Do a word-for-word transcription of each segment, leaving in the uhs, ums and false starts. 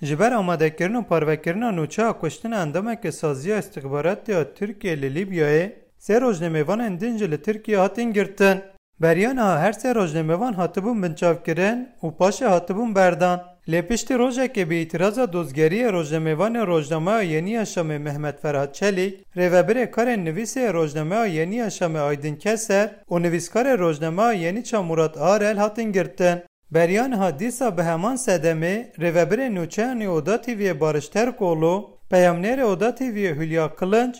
Ji ber amadekirin û parvekirina nûçeya kuştina endameke Saziya Îstixbaratê ya Tirkiyê li Lîbyayê, sê rojnamevanên din jî li Tirkiyê hatin girtin. Beriya niha her sê rojnamevan hatibûn binçavkirin û paşê hatibûn berdan. Lê piştî rojekê bi îtiraza dozgeriyê rojnamevanê Rojnameya Yenî ya Şamê Mehmet Ferhat Çelîk, rêvebirê karên nivîsê yê Rojnameya Yenî ya Şamê Aydin Keser û nivîskarê Rojnameya Yenî ça Murat Arel hatin girtin. Beriya niha dîsa bi heman sedemê rêvebirê nûçeyan ê Oda T V'yê Barış Terkoğlu, peyamnêrê Oda T V'yê Hülya Kılınç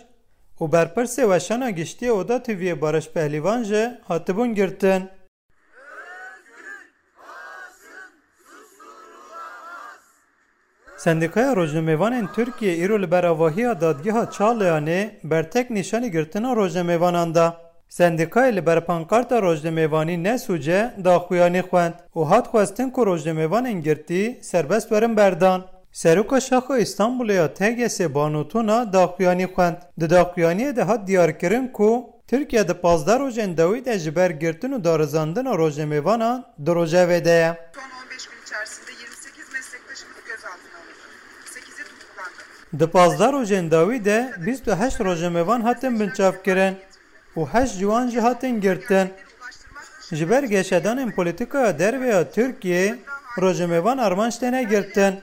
û berpirsê weşana giştî yê Oda T V'yê Barış Pehlivan jî hatibûn girtin. Sendîkaya Rojnamevanên Tirkiyê îro li ber avahiya Dadgeha Çağlayanê bertek nîşanî girtina rojnamevanan da. Sendîkayê li ber pankarta rojnamevanî Nesûce daxuyanî xwend û hat xwestin ku rojnamevanên girtî serbest werin berdan. Seroka Şaxa Îstanbulê ya T G S Banu Tuna daxuyanî xwend. Di daxuyaniyê de hat diyarkirin ku Tirkiye di pazdeh rojên dawî de ji ber girtin û darizandina rojnamevanan di rojevê de ye. Son on beş gün içerisinde yirmi sekiz meslektaşımız gözaltına alındı. Sekizi tutuklandı. Di pazdeh rojên dawî de bîst û heşt rojnamevan hatin binçavkirin û heşt ji wan jî hatin girtin. Ji ber geşedanên polîtîkaya derve ya Tirkiyê, rojnamevan armanc têne girtin.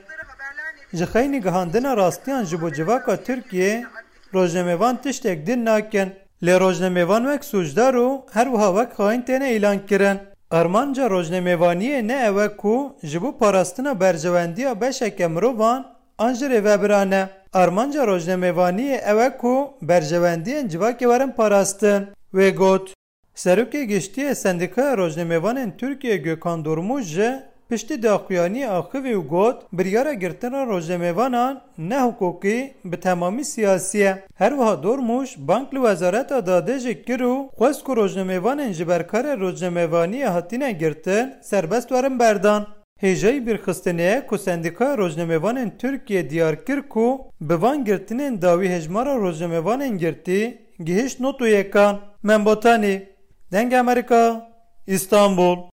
Ji xeynî gihandina rastiyan ji bo civaka Tirkiyê, rojnamevan tiştek din nakin. Lê rojnamevan wek sûcdar û her wiha wek xain têne îlan kirin. Armanca rojnamevaniyê ne ew e ku ji bo parastina berjewendiya beşeke mirovan an jî rêvebiran e. Armanca rojnamevaniyê ew e ku berjewendiyên civakê werin parastin. Wê got. Serokê Giştî yê Sendîkaya Rojnamevanên Tirkiyê Gökhan Durmuş jî piştî daxuyaniyê axivî û got, biryara girtina rojnamevanan ne hiqûqî, bi temamî siyasî ye. Her wiha Durmuş bang li Wezareta Dadê jî kir û xwest ku rojnamevanên ji ber karê rojnamevaniyê hatine girtin serbest werin berdan. Hêjayî bîrxistinê ye ku Sendîkaya Rojnamevanên Tirkiyê diyar kir ku bi van girtinên dawî hejmara rojnamevanên girtî gihişt nod û yekan. Membotanî, Dengê Amerîka, Îstanbul.